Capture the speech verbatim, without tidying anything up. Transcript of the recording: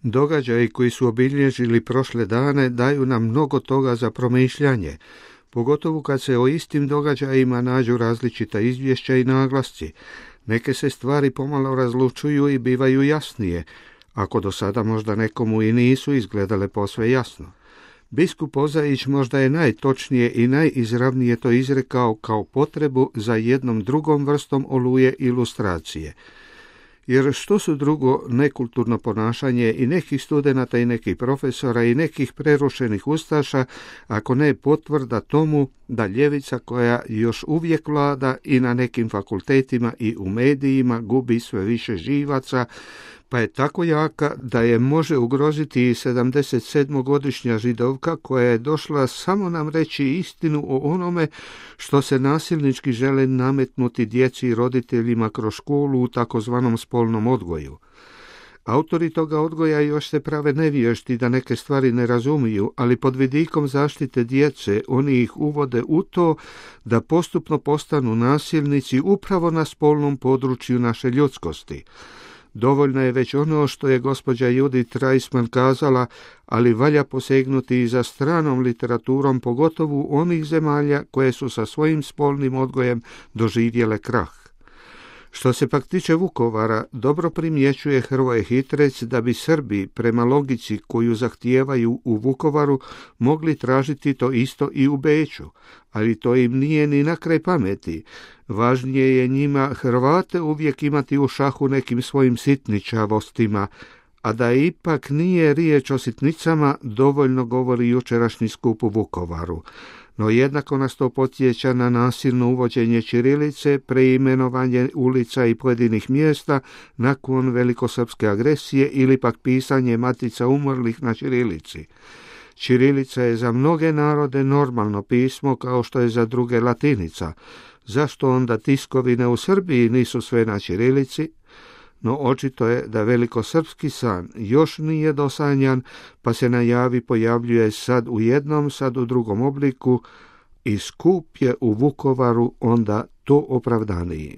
Događaji koji su obilježili prošle dane daju nam mnogo toga za promišljanje, pogotovo kad se o istim događajima nađu različita izvješća i naglasci. Neke se stvari pomalo razlučuju i bivaju jasnije, ako do sada možda nekomu i nisu izgledale posve jasno. Biskup Ozajić možda je najtočnije i najizravnije to izrekao kao potrebu za jednom drugom vrstom oluje ilustracije. Jer što su drugo nekulturno ponašanje i nekih studenata i nekih profesora i nekih prerušenih ustaša, ako ne potvrda tomu da ljevica koja još uvijek vlada i na nekim fakultetima i u medijima gubi sve više živaca, pa je tako jaka da je može ugroziti i sedamdesetsedmogodišnja židovka koja je došla samo nam reći istinu o onome što se nasilnički žele nametnuti djeci i roditeljima kroz školu u takozvanom spolnom odgoju. Autori toga odgoja još se prave nevješti da neke stvari ne razumiju, ali pod vidikom zaštite djece oni ih uvode u to da postupno postanu nasilnici upravo na spolnom području naše ljudskosti. Dovoljno je već ono što je gospođa Judith Reisman kazala, ali valja posegnuti i za stranom literaturom, pogotovo onih zemalja koje su sa svojim spolnim odgojem doživjele krah. Što se pak tiče Vukovara, dobro primjećuje Hrvoje Hitrec da bi Srbi, prema logici koju zahtijevaju u Vukovaru, mogli tražiti to isto i u Beču, ali to im nije ni na kraj pameti. Važnije je njima Hrvate uvijek imati u šahu nekim svojim sitničavostima, a da ipak nije riječ o sitnicama, dovoljno govori jučerašnji skup u Vukovaru. No jednako nas to podsjeća na nasilno uvođenje ćirilice, preimenovanje ulica i pojedinih mjesta nakon velikosrpske agresije ili pak pisanje matica umrlih na ćirilici. Ćirilica je za mnoge narode normalno pismo kao što je za druge latinica. Zašto onda tiskovine u Srbiji nisu sve na ćirilici? No očito je da velikosrpski san još nije dosanjan, pa se na javi pojavljuje sad u jednom, sad u drugom obliku i skup je u Vukovaru onda to opravdaniji.